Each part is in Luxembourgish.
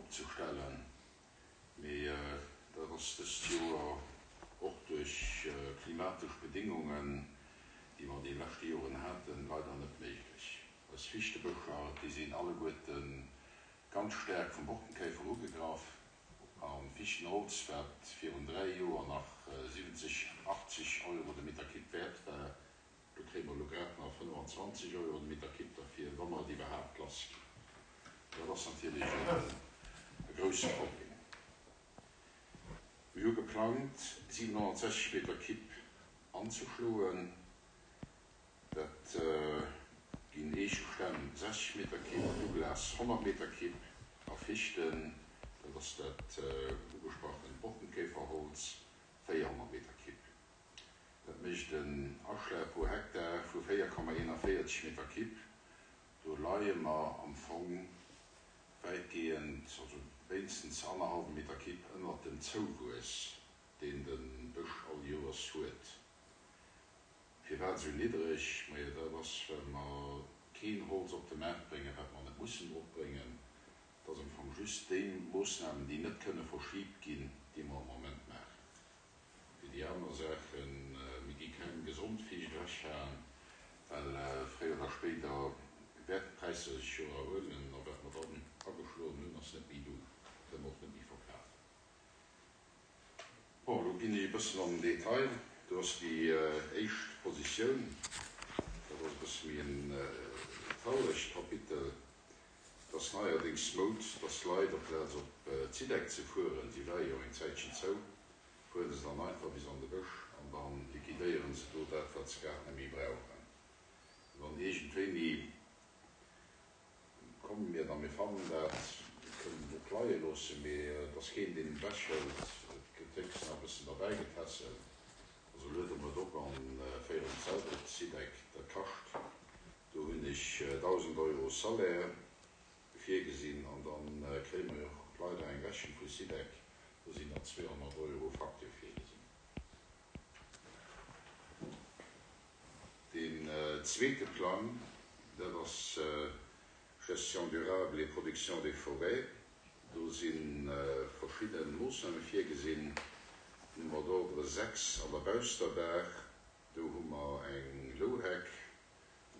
opzestellen, mee dat ass dëst Joer och duerch klimatesch Bedéngungen, déi mer déi leschte Joren haten, leider net méiglech. Eis Fichtebëscher, déi sinn alleguerte ganz staark vum Borkenkäfer ugegraff a Fichtenholz, wat virun 3 Joer nach 70, 80 Euro de Meter Kipp wäert war, Do kréie mer elo grad nach 25 Euro de Meter Kipp derfir, wa mer et iwwerhaapt lass ginn. Dat ass natierlech e grousse Problem. Mir hu geplangt, 760 Meter Kipp anzeschloen. Dat ginn Eechestämm 60 Meter Kipp, Douglas 100 Meter Kipp a Fichten, dat ass dat ugesprachent Borkenkäferholz, 400 Meter Kipp. Dat mécht en Aschlag pro Hektar vu 4,41 Meter Kipp. Do leie mer am Fong wäitgehend, also wéinstens annerhallwe Meter Kipp ënnert dem Zouwuess, deen de Bësch all Joers huet. Firwat esou niddreg? Majo, dat ass, well mer keen Holz op de Maart bréngen, wat mer net mussen drop bréngen. Et ass am Fong just déi Moossnamen, déi net kënne verschiibt ginn, déi mer am Moment maachen. Fir déi aner Saachen, mir gi keng gesond Fiicht ewechhaen, well fréier oder spéider wäerten d'Präisser sech jo erhuelen a wat mer dann ageschloen hunn, ass net méi do, kënne mer och net méi verkafen. Bon, elo ginn ech e bëssen an den Detail. Do ass déi éischt Positioun, dat ass e bësse méi en trauregt Kapitel. Et ass neierdéngs Moud, dass Leit, amplaz op d'Sidec ze fueren, si war jo eng Zäitchen zou, fueren se dann einfach bis an de Bësch an da liquidéieren se do dat, wat se grad net méi brauchen. An dann iergendwéini komme mir dann, mir fannen dat, mir kënnen et och leie loossen, mee et ass keen, deen et ewechhëlt, et gëtt héchstens nach e bëssen derbäigetässelt, also luede mer et op a féieren et selwer op d'Sidec. Dat kascht Do hunn ech 1.000 Euro Salaire virgesinn an da kréie mer jo och leider eng Rechnung vu Sidec, do sinn nach 200 Euro Facture virgesinn. Deen zweete Plang, dat ass Gestion durable et production des forêts. Do si verschidde Moossname virgesinn, Numéro d'ordre 6 an der Bausterbaach, do hu mer eng Louheck,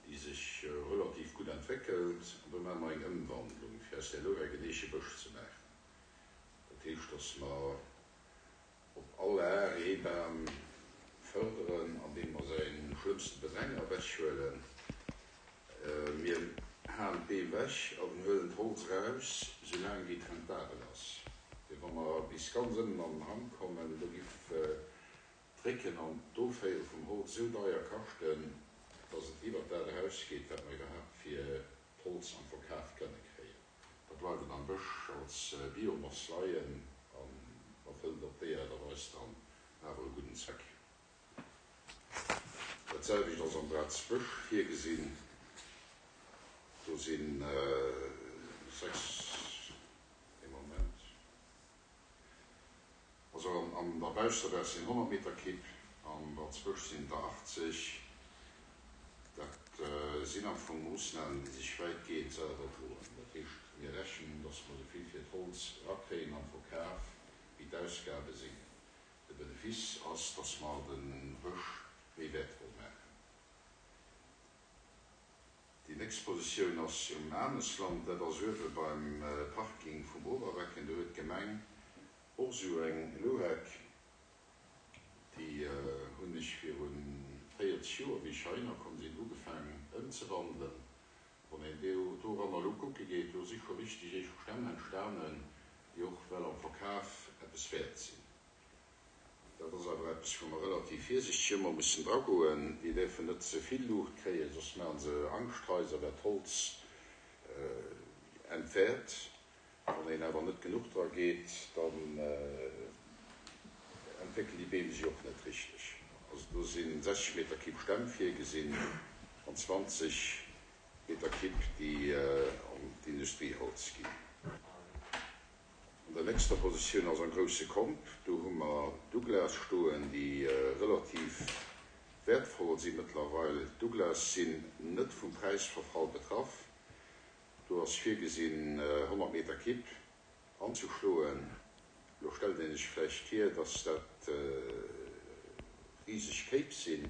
déi sech relativ gutt entwéckelt, an do maache mer eng Ëmwandlung, fir aus där Louheck en Eechebësch ze maachen. Dat heescht, datt mer op all Ar ee Bam fërderen, andeem mer säi schlëmmste Bedränger ewechhuelen. Mir haen d'Beem ewech an huelen d'Holz eraus, soulaang wéi et rentabel ass. Well wa mer bis ganz ënnen an den Hang kommen, do giff D'Récken an d'Oféiere vum Holz esou deier kaschten, dass et iwwert dat erausgeet, wat mer iwwerhaapt fir d'Holz am Verkaf kënne kréien. Da bleift et am Bësch als Biomass leien an erfëllt op déi Aart a Weis dann awer e gudden Zweck. Dat selwecht ass am Braz Bësch virgesinn. Do si 6, ee Moment. Also an der Bausterbaach sinn 100 Meter Kipp, an der Zwësch sinn der 80. Dat sinn am Fong Moossnamen, déi sech wäitgehend selwer droen. Dat heescht, mir rechnen, datt mer esou vill fir d'Holz erakréien am Verkaf, wéi d'Ausgabe sinn. De Benefice ass, datt mer de Bësch méi wäertvoll maachen. Déi nächst Positioun ass um Anesland, dat ass uewe beim Parking vum Oberwecken. Do huet d'Gemeng och esou eng Louheck. Déi hunn ech viru 40 Joer, wéi ech heihinner komm sinn, ugefaangen ëmzewandelen. Wann een doranner elo kucke geet, do si scho richteg Eechestämm entstanen, déi och well am Verkaf eppes wäert sinn. Dat ass awer eppes, wou mer relativ virsichteg ëmmer mussen dragoen. Déi däerfen net ze vill Luucht kréien, soss maache se Angschthaiser, wat d'Holz entwäert. Wann een awer net genuch dra geet, dann entwéckelen déi Beem sech och net richteg. Also do si 60 Meter Kipp Stämm virgesinn an 20 Meter Kipp, déi an d'Industrieholz ginn. An der nächster Positioun ass am grousse Komp, do hu mer Douglas stoen, déi relativ wäertvoll si mëttlerweil. D'Douglas sinn net vum Präisverfall betraff. Do ass virgesinn 100 Meter Kipp. Anzeschloen. Elo stellt een sech vläicht vir, dass dat riseg Kéip sinn,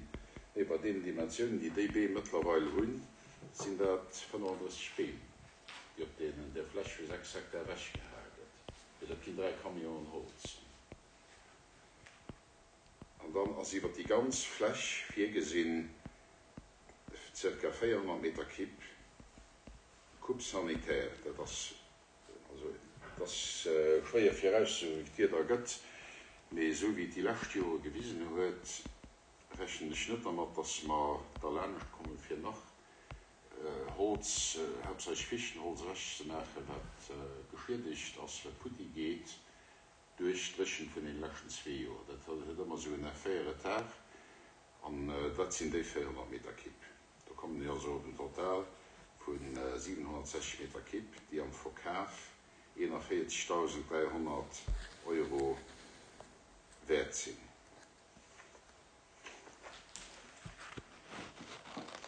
mee bei deenen Dimensiounen, déi déi Beem mëttlerweil hunn, sinn dat 35 Beem, déi op deenen där Fläch vu 6 Hektar ewechgehae gëtt. Mee dat ginn 3 Camionen Holz. An dann ass iwwer déi ganz Fläch virgesinn, zirka 400 Meter Kipp, Coupe sanitaire, dat ass Also et ass schwéier virauszesoen, wéi d'Wieder gëtt, mee esou wéi et déi lescht Jore gewisen huet, rechnen ech net dermat, dass mer derlaanescht kommen, fir nach Holz, haaptsächlech Fichtenholz, ewechzemaachen, wat geschiedegt ass, wat futti geet duerch d'Dréchent vun deene leschten zwee Joer. Dat huet ëmmer esou en Effet retard an dat sinn déi 400 Meter Kipp. Do kommen mir also op en Total vu 760 Meter Kipp, déi am Verkaf 41.300 Euro wäert sinn.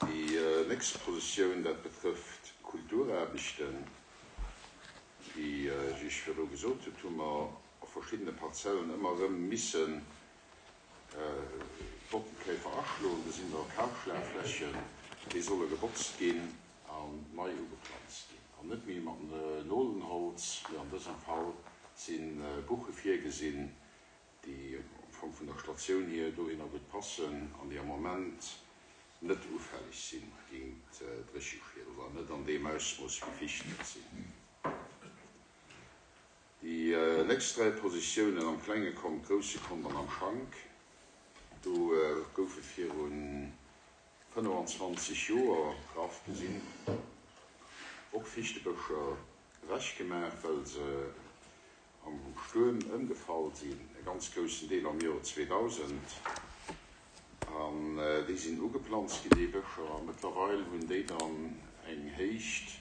Déi nächst Positioun, dat betrëfft d'Kulturaarbechten. Wéi ech Iech virdru gesot hutt, hu mer a verschiddene Parzellen ëmmer erëm missen Bottenkäfer aschloen, do sinn da Kahlschlagflächen, déi solle gebotzt ginn an nei ugeplanzt ginn. An net méi mat Nolenholz, mee an dësem Fall si Buche virgesinn, déi am Fong vun der Statioun hier dohinner gutt passen an déi am Moment net ufälleg si géint Drécheschied oder net an deem Ausmooss wéi Fichten et sinn. Déi nächst 3 Positiounen am klenge Kont, grousse Kont an am Schank, do goufe viru 25 Joer, graff gesinn, och Fichtebëscher ewechgemaach, well se am Stuerm ëmgefall sinn, e ganz groussen Deel am Joer 2000. An déi sinn ugeplanzt ginn, déi Bëscher, a mëttlerweil hunn déi dann eng Héicht,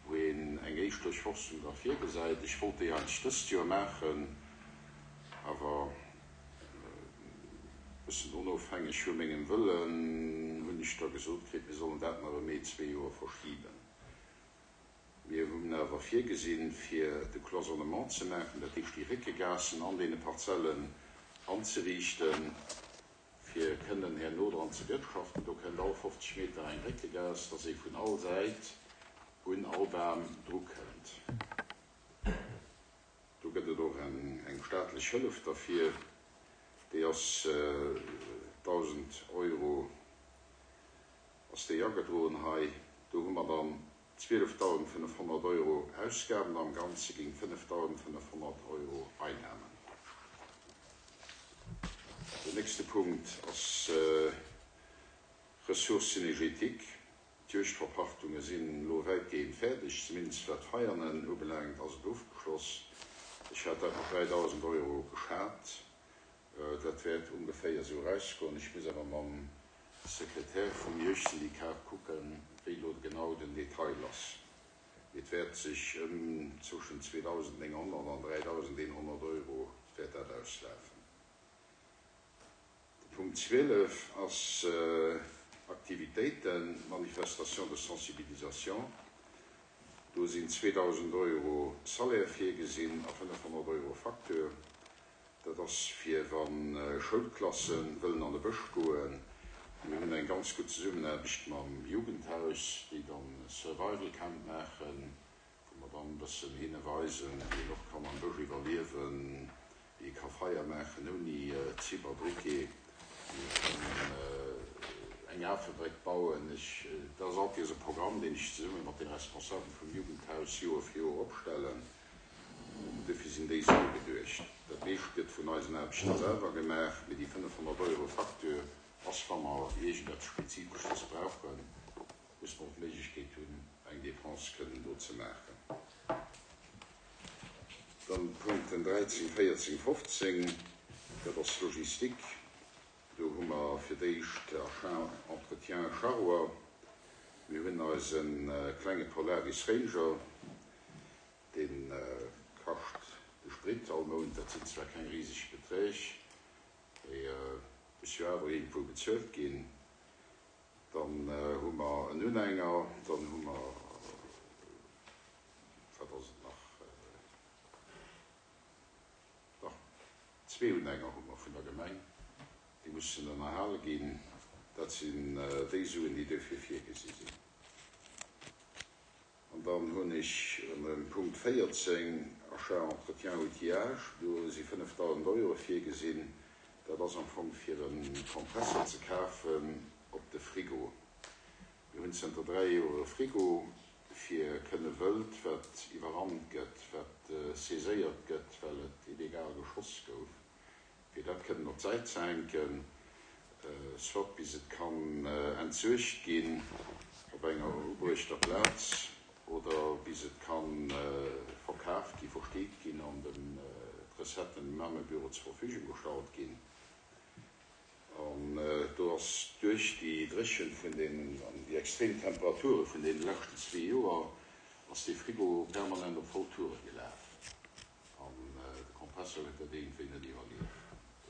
wou een eng éischt Duerchforstung da virgesäit. Ech wollt déi eigentlech dëst Joer maachen, awer e bëssen onofhängeg vu mengem Wëllen hunn ech da gesot kritt, mir sollen dat nach ëm ee, zwee Joer verschiben. Mir hunn awer virgesinn, fir de Cloisonnement ze maachen, dat heescht déi Réckegaassen an deene Parzellen anzeriichten, fir kënnen herno dran ze wirtschaften. Do kënnt all 50 Meter eng Réckegaass, dass ee vun all Säit un all Bam drukënnt. Do gëtt et och eng staatlech Hëllef derfir, déi ass 1.000 Euro ass déi agedroen hei. Do hu mer dann 12.500 Euro Ausgaben am Ganze géint 5.500 Euro Einnahmen. Den nächste Punkt ass Ressources synergétiques. D'Juegdverpachtunge sinn elo wäitgehend fäerdeg, zumindest wat d'Veianen ubelaangt ass et ofgeschloss. Ech hat dat mat 3.000 Euro geschat. Dat wäert ongeféier esou erausgoen. Ech muss awer mam Sekretär vum Juegdsyndikat kucken, wéi elo genau den Detail ass. Mee et wäert sech ëm zwëschen 2.900 an 3.100 Euro wäert dat auslafen. De Punkt 12 ass Aktivitéiten, Manifestation de sensibilisation. Do sinn 2.000 Euro Salaire virgesinn a 500 Euro Facture. Dat ass fir wa Schoulklasse wëllen an de Bësch goen. Mir hunn eng ganz gutt Zesummenaarbecht mam Jugendhaus, déi dann e Survival Camp maachen, wou mer dann e bëssen hinne weisen, wéi een och kann am Bësch iwwerliewen, wéi ee ka Feier maachen ouni Zibberbriquet, wéi ee kann eng Afebréck bauen. Ech, dat ass alt nees e Programm, deen ech zesumme mat de Responsabele vum Jugendhaus Joer fir Joer opstellen. Dofir sinn déi Sue geduecht. Dat meescht gëtt vun eisen Aarbechter selwer gemaach, mee déi 500 Euro Facture ass, wa mer iergendeppes Spezifesches brauchen, muss mer och d'Méiglechkeet hunn, eng Dépense kënnen do ze maachen. Dann d'Punkten 13, 14, 15, dat ass Logistik. Do hu mer fir d'éischt Achat, Entretien, Charroi. Mir hunn eise klenge Polaris Ranger, dee kascht de Sprit all Mount. Dat sinn zwar keng riseg Beträg, mee muss jo awer iergendwou bezuelt ginn. Dann hu mer en Unhänger, dann hu mer, wat ass et nach? Zwee Unhänger hu mer vun der Gemeng, déi mussen ënnerhale ginn. Dat sinn déi Suen, déi dofir virgesi sinn. An dann hunn ech ënner dem Punkt 14, Achat, entretien, outillage, do si 5.000 Euro virgesinn. Dat ass am Fong fir e Kompressor ze kafen op de Frigo. Mir hunn zënter 3 Joer e Frigo, fir kënne Wëld, wat iwwerrannt gëtt, wat saiséiert gëtt, well et illegal geschoss gouf, fir dat kënnen op d'Säit ze hänken, soit bis et kann entsuergt ginn op enger ubruechter Plaz oder bis et ka verkaf ginn, versteet ginn an den d'Recetten dem Aarmebüro zur Verfügung gestallt ginn. An do ass duerch déi Dréchent vun den an déi extrem Temperature vun deene leschten zwee Joer ass dee Frigo permanent op voll Toure gelaf. An de Kompressor huet dat iergendwéi net iwwerlieft.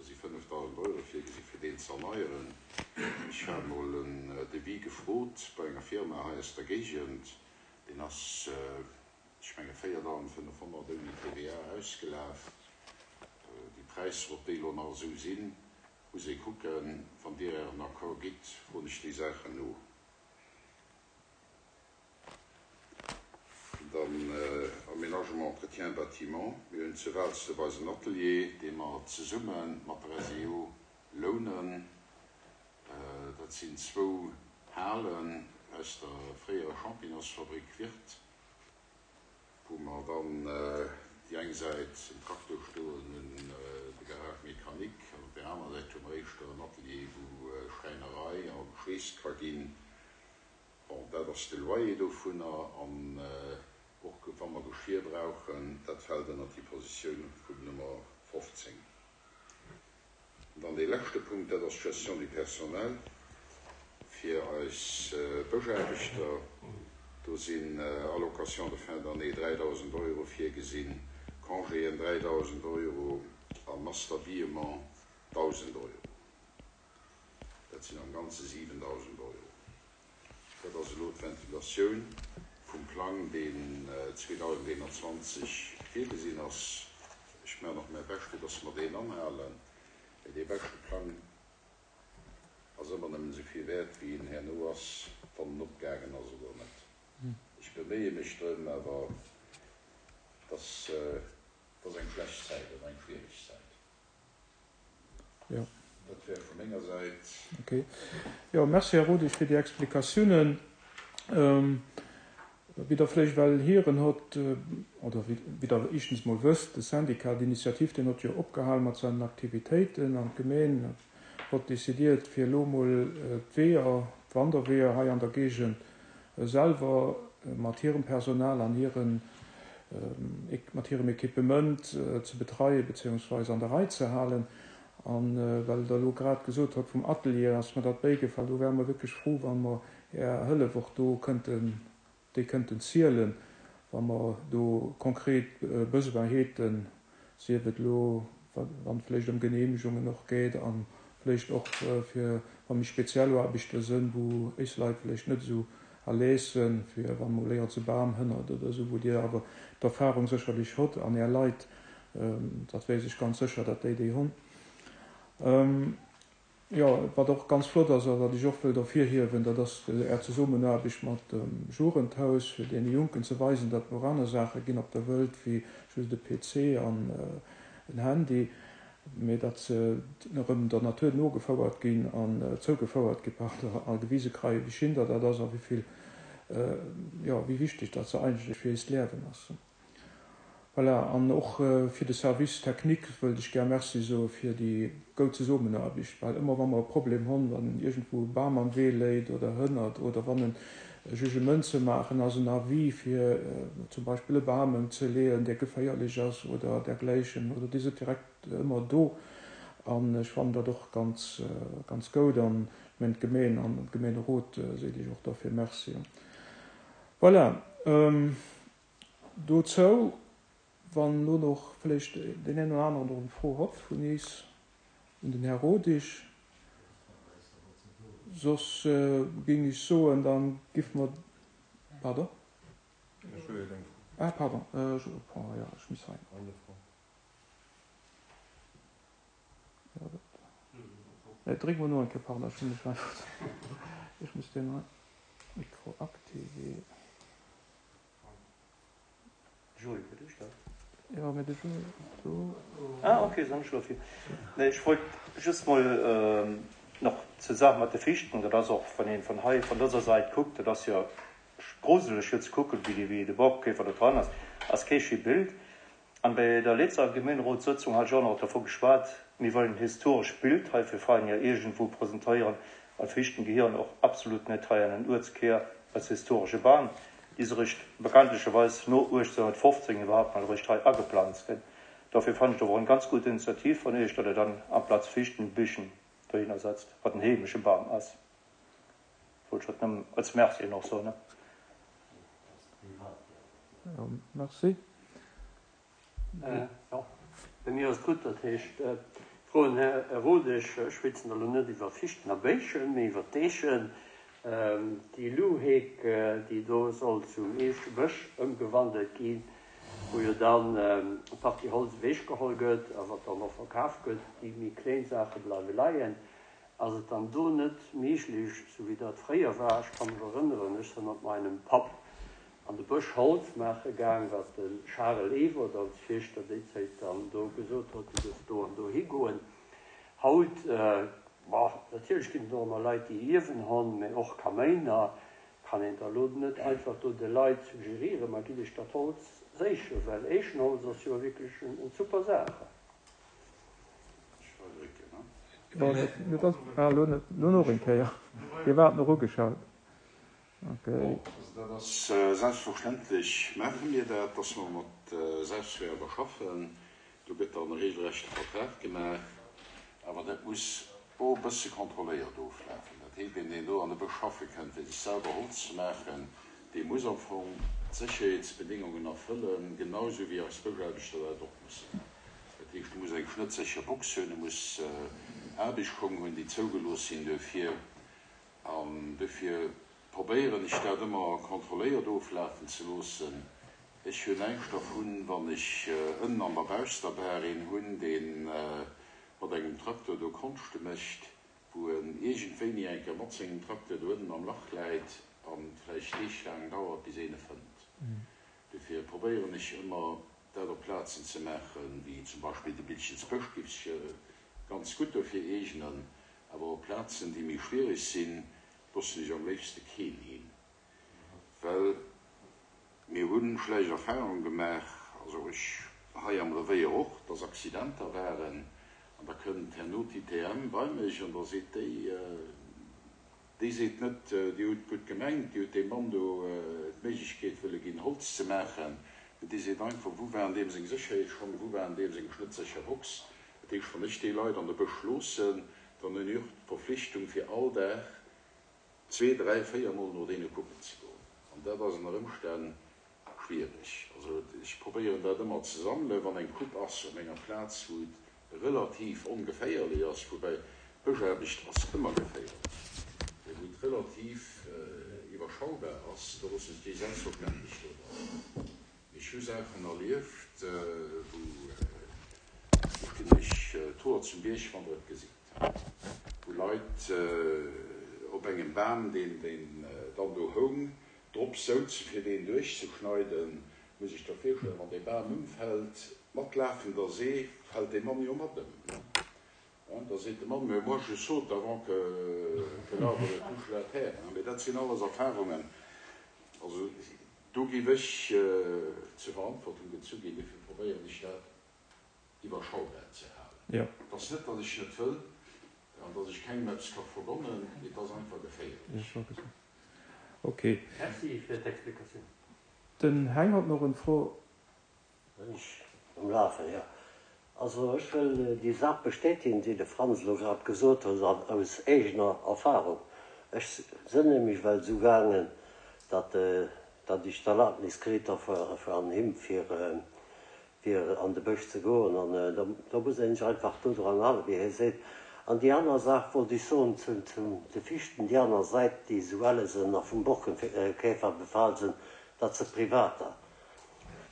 Do si 5.000 Euro virgesi fir deen ze erneieren. Ech hat mol en Devis gefrot bei enger Firma hei aus der Géigend. Deen ass, ech menge 4.500 ouni TVA ausgelaf. Déi Präisser, ob déi elo nach esou sinn, muss ee kucken. Wann Dir Ären Accord gitt, froen ech déi Saachen no. Dann Aménagement, Entretien bâtiment. Mir hunn zu Waalsdorf eisen Atelier, dee mer zesumme mat der SEO lounen. Dat sinn zwou Halen aus der fréierer Champignonsfabrik Wirth, wou mer dann déi eng Säit en Traktor stoen hunn, de Garage mécanique, an op där anerer Säit hu mer éischter en Atelier, wou Schräinerei a geschweesst ka ginn. Bon, dat ass de Loyer dovunner an och wa mer Geschir brauchen, dat fält ënnert déi Positioun vum Nummer 15. An dann dee leschte Punkt, dat ass d'Gestion du personnel fir eis Bëschaarbechter. Do sinn Allocations de fin d'année 3.000 Euro virgesinn, Congéen 3.000 Euro a Masse d'habillement 1.000 Euro. Dat sinn am Ganze 7.000 Euro. Dat ass elo d'Ventilatioun vum Plang, deen 2021 virgesinn ass. Ech maachen och mäi Bescht, fir dass mer deen anhalen. Mä dee beschte Plang ass ëmmer nëmmen esou vill wäert, wéi en herno ass, wann en opgaangen ass oder net. Ech beméie mech drëm, awer et ass eng schlecht Zäit an eng schwiereg Zäit. Jo. Dat wär vu menger Säit. Ok. Jo, merci, Här Rodesch, fir déi Explikatiounen. Wéi Der vläicht well hieren hott, oder wéi Der éischtens mol wësst, de Syndicat d'initiative, deen hott jo opgehal mat seinen Aktivitéiten an d'Gemeen hott décidiert, fir elo mol d'Weeër, d'Wanderweeër hei an der Géigend selwer mat hirem Personal an hiren, mat hirem Equipement ze betreien beziehungsweise an der Rei ze halen. A well Der elo grad gesot hutt vum Atelier, ass mer dat bäigefall, do wäre mer wierklech frou, wa mer Är Hëllef och do kënnten, déi kënnten zielen, wa mer do konkret Besoin häten, sief et elo wann et vläicht ëm Genehmegungen och geet a vläicht och fir wa méi speziell Aarbechte sënn, wou éis Leit vläicht net esou à l'aise sënn, fir wa mol éier se Bam hënnert oder esou, wou Dir awer d'Erfahrung sécherlech hott an Är Leit, dat weess ech ganz sécher, datt déi déi hunn. Jo, wat och ganz flott ass a wat ech och wëllt ervirhiewen, dat ass Är Zesummenaarbecht mat dem Jugendhaus, fir deene Jonken ze weisen, datt et och aner Saache ginn op der Wëlt wéi just e PC an en Handy, mee datt se erëm der Natur nogefouert ginn an zougefouert gi, pardon, a gewise kreien, wéi schin dat ass a wéi vill, jo, wéi wichteg dat se eigentlech fir eist Liewen ass. Voilà, an och fir de Service technique wëllt ech gär Merci soe fir déi goud Zesummenaarbecht, well ëmmer wa mer e Problem honn, wann iergendwou e Bam am Wee léit oder hënnert oder wann e Jugement ze maachen ass, en Avis fir zum Beispill e Bam ëmzeleeën, dee geféierlech ass oder dergläichen, oder Dir sidd direkt ëmmer do an ech fannen dat och ganz, ganz goud an ech mengen d'Gemeen an de Gemeenerot seet Iech och dofir Merci. Voilà. Dozou, wann elo nach vläicht deen een oder aneren och eng Fro hott vun iis un den Här Rodig. Soss géing ech soen, da giff mer, pardon? Ah, pardon, je reprends, jo, ech muss hei. Nee, dréck mol no eng Kéier, pardon, ech hunn mech einfach, ech muss deen hei Micro activer. Jules, huet ech dat? Jo, mee de Jules do. Ah ok, soll ech elo fir. Nee, ech wollt just mol nach zur Saach mat de Fichten, dat ass och, wann een vun hei, vun dëser Sait kuckt, dat ass jo gruseleg fir ze kucken, wéi wéi de Borkenkäfer do dran ass, ass kee schéi Bild. An bei der letzter Gemeenerotssëtzung hat ech och nach dervu geschwat, mir wëllen en historescht Bild hei fir Veiner iergendwou presentéieren, an d'Fichten gehieren och absolut net hei an den Uertskär als historesche Bam, déi se eréischt bekanntlecherweis no 1815 iwwerhaupt mol eréischt hei ageplanzt gënn. Dofir fannen ech et och eng ganz gutt Initiativ vun Iech, datt Der dann amplaz Fichten Bichen dohinner setzt, wat en heemesche Bam ass. Wollt ech dat nëmmen als Merci och soen. Jo, merci. Jo, bei mir ass et gutt. Dat heescht, froen Här Rodesch, ech schwätzen elo net iwwer Fichten a Béischen, mee iwwer d'Eechen. Déi Louheck, déi do soll zum Eechebësch ëmgewandelt ginn, wou jo dann eng Partie Holz ewechgeholl gëtt a wat dann och verkaf gëtt, déi méi kléin Saache bleiwe leien. Ass et dann do net méiglech, sou wéi dat fréier war, ech ka mech erënneren, ech sinn mat meinem Papp an de Bësch Holz maache gaang, wat de Charel Ewert als Fierschter déi Zéit dann do gesot huet, du duerfs do an do higoen. Haut, bon, natierlech ginn et och ëmmer Leit, déi ierwen honn, mä och Kaméiner, kann een da lo net einfach do de Leit suggerieren, ma gitt iech dat Holz séichen, well Eechenholz ass jo wierklech en super Saach. Lo nach eng Kéier, Dir waart nach ugeschalt. Okay. Also dat ass selbstverständlech, maache mir dat, dass mer mat Selbstwäerder schaffen. Do gëtt dann e regelrechte Vertrag gemaach, awer dat muss och e bësse kontrolléiert oflafen. Dat heescht, een, deen do an de Bësch schaffe kënnt, fir sech selwer Holz ze maachen, dee muss am Fong d'Sécherheetsbedingungen erfëllen, genau esou wéi eis Bëschaarbechter dat och mussen. Dat heescht, e muss eng schnëttsécher Box hunn, e muss Aarbechtsschong hunn, déi zougelooss sinn duerfir. An dofir probéieren ech dat ëmmer kontrolléiert oflafen ze loossen. Ech hunn näischt dervun, wann ech ënnen an der Bausterbaach een hunn, dee mat engem Traktor do Konschte mécht, wou en iergendwéini eng Kéier mat sengem Traktor do ënnen am Lach läit an et vläicht deeglaang dauert, bis een e fënnt. Dofir probéieren ech ëmmer, dat op Plazen ze maachen, wéi zum Beispill de Bilchensbësch géif sech ganz gutt dofir eegnen, awer op Plazen, déi méi schwiereg sinn, loossen ech am léifste keen hin, well mir hu schlecht Erfahrung gemaach, also ech hei am Revéier och, dass Accidenter waren an da kënnt herno d'ITM bei mech an da seet déi, Déi seet net, Dir hutt gutt gemengt, Dir hutt deem Mann do d'Méiglechkeet wëlle ginn, Holz ze maachen, mee déi seet einfach, Wou waren deem seng Sécherheetsschong, wou waren deem seng schnëttsécher Box? Dat heescht, wann ech déi Leit an de Bësch loossen, dann hunn ech och d'Verflichtung, fir all Dag zwee, dräi, véiermol no deene kucken ze goen. An dat ass ënner Ëmstänn Schwiereg. Also ech probéieren dat ëmmer ze sammelen, wann eng Coupe ass op enger Plaz wou et relativ ongeféierlech ass, woubäi Bëschaarbecht ass ëmmer geféierlech, mee wou et relativ iwwerschaubar ass, do loossen ech déi selbstverständlech do dran. Mee ech hu Saachen erlieft, wou do stinn ech d'Hoer zum Bierg, wann der et gesitt, wou Leit op engem Bam, deen dann do houng, Drop souzen, fir deen duerchzeschneiden. Muss ech der virstellen, wann dee Bam ëmfält, mat lafender See, fält dee Mann jo mat ëm, ne? Da seet de Mann, Mais moi je saute avant que que l'arbre ne touche la terre, hein. Mee dat sinn alles Erfahrungen, also do géif ech zur Verantwortung gezu ginn. Dofir probéieren ech dat iwwerschaubar ze halen. Et ass net, datt ech net wëll an datt ech kengem eppes ka vergonnen, mee et ass einfach geféierlech. Ok. Merci fir d'Explikatioun. Den Heng hot nach en Fro. Sinn ech um Lafen? Jo. Also ech wëll déi Saach bestätigen, déi de Franz elo grad gesot huet, an aus eegener Erfahrung. Ech sënn nämlech well esou gaangen, datt datt ech d'Erlaabnis kritt ha vun him fir fir an de Bësch ze goen, an da muss een sech einfach dodran halen, wéi hie seet. An déi aner Saach wollt ech soen zu de Fichten, déi aner Säit, déi esou elle sinn a vum Borkenkäfer befal sinn, dat si Privater.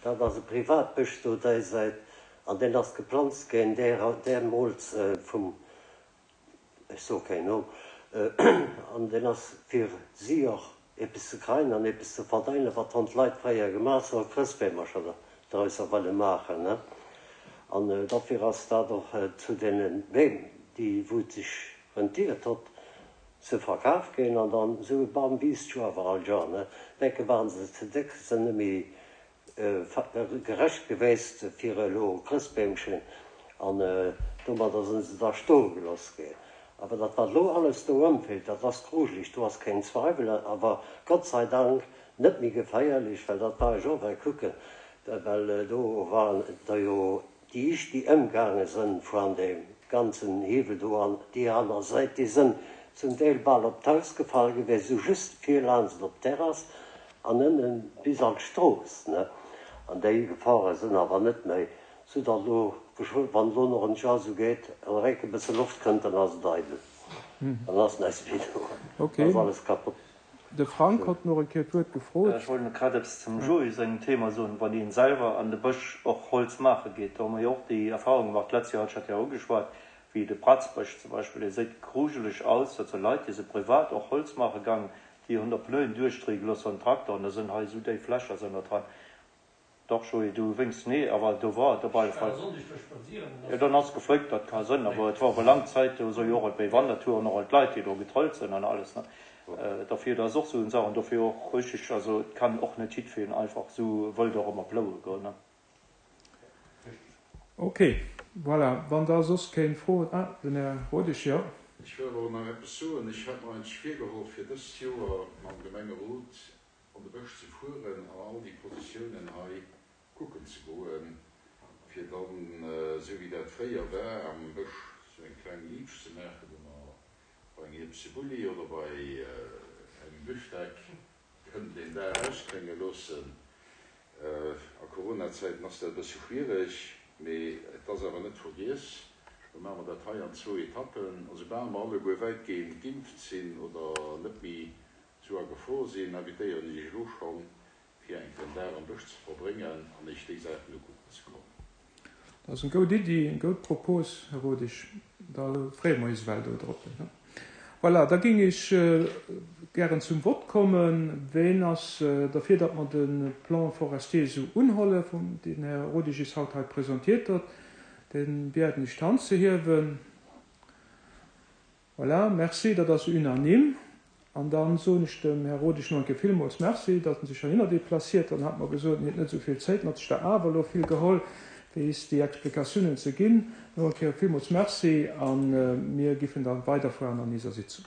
Dat ass e Privatbësch do déi Säit. An deen ass geplanzt ginn deemools vum, ech soe keen Numm, an deen ass fir si och eppes ze kreien an eppes ze verdeinen, wat han d'Leit fréier gemaach hu, Chrëstbeemercher drausser wëlle maachen. An dofir ass dat och zu deene Beem, déi wou et sech rentiert hott, ze verkaf ginn. An dann esou e Bam wiisst jo awer all Joer, ne? Denke waren se ze déck, se net méi gerecht gewäst fir elo Chrëstbeemchen an domadder sinn se da stoe geloss ginn. Awer dat wat elo alles do ëmfält, dat ass grujeleg, do ass keen Zweiwel, awer Gott sei Dank net méi geféierlech, well dat war ech och well kucken, well do waren der jo déi ischt déi ëmgaange sënn voan deem ganzen Hiwwel do an déi aner Säit, déi sënn zum Deel bal op d'Haus gefall gewiescht, esou just vir laanscht op d'Terrass An ënnen bis an d'Strooss, ne? An déi Gefore sënn awer net méi, sou datt elo geschwë, wann elo nach en Joer sou geet, an eréck e bësse Loft kënnt, dann ass et eidel, dann ass näischt méi do, dann ass alles kapott. De Frank hott noch eng Kéier d'Wuert gefrot. Ech wollt grad eppes zum Joé sengem Thema soen, wann een selwer an de Bësch och Holz maache geet, do hu mer jo och déi Erfahrung gemaach, d'letzt Joer hat ech dat jo ugeschwat, wéi de Pratzbësch zum Beispill, dee séit grujeleg aus, dat si Leit, déi si privat och Holz maache gaangen, Déi hunn der Pneuen duerchdréie gelooss an Traktor an da sënn hei esou déif Lächer sënn der dran. Dach Joé, du wénks, nee awer do war et op alle Fall. Jo dann ass gefléckt, dat ka sënn, awer et war awer laang Zäit, do soe jo och alt béi Wandertouren och alt Leit déi do getrëllt sënn an alles ne. Derfir dat ass och esou eng Saach an dofir och richtig, also et kann och net jiddfeen einfach esou wëll do erëm ploue goen ne. Ok, voilà, wann da soss keen Fro huet. Ah, den Här Rodesch, jo. Ech wëll awer och nach eppes soen. Ech hat mer eigentlech virgeholl, fir dëst Joer mam Gemengerot an de Bësch ze fueren an all déi Positiounen hei kucken ze goen, fir dann, esou wéi dat fréier war, am Bësch esou eng kleng Liitsch ze maachen, wou mer bei engem Ierpsebulli oder bei engem Büftek Kënnt een Dag ausklénge loossen. A Corona-Zäiten ass dat e bësse schwiereg, mee et ass awer net vergiess. Da maache mer dat hei an zwou Etappen. A soubal mer alleguer wäitgehend geimpft sinn oder net méi sou a Gefor sinn, invitéieren ech Iech elo schonn, fir eng Kéier en Dag am Bësch ze verbréngen an Iech déi Saachen ukucken ze kommen. Dat ass eng goud Iddi, eng goud Propos, Här Rodesch. Da freeë mer eis ewell do drop. Voilà, da géing ech gären zum Vott kommen. Ween ass derfir, datt mer de Plan forestier esou unholle, deen den Här Rodesch eis haut hei presentiert huet? Dee biäden ech d'Hand ze hiewen. Voilà, merci, dat ass unanime. An da soen ech dem Här Rodesch nach eng Kéier villmools Merci, datt en sech heihinner déplaciert. Dann hat mer gesot, en hätt net esou vill Zéit, en hat sech der awer elo vill geholl, fir is déi Explikatiounen ze ginn. Nach eng Kéier villmools Merci a mir giffen da weiderfueren an iser Sitzung.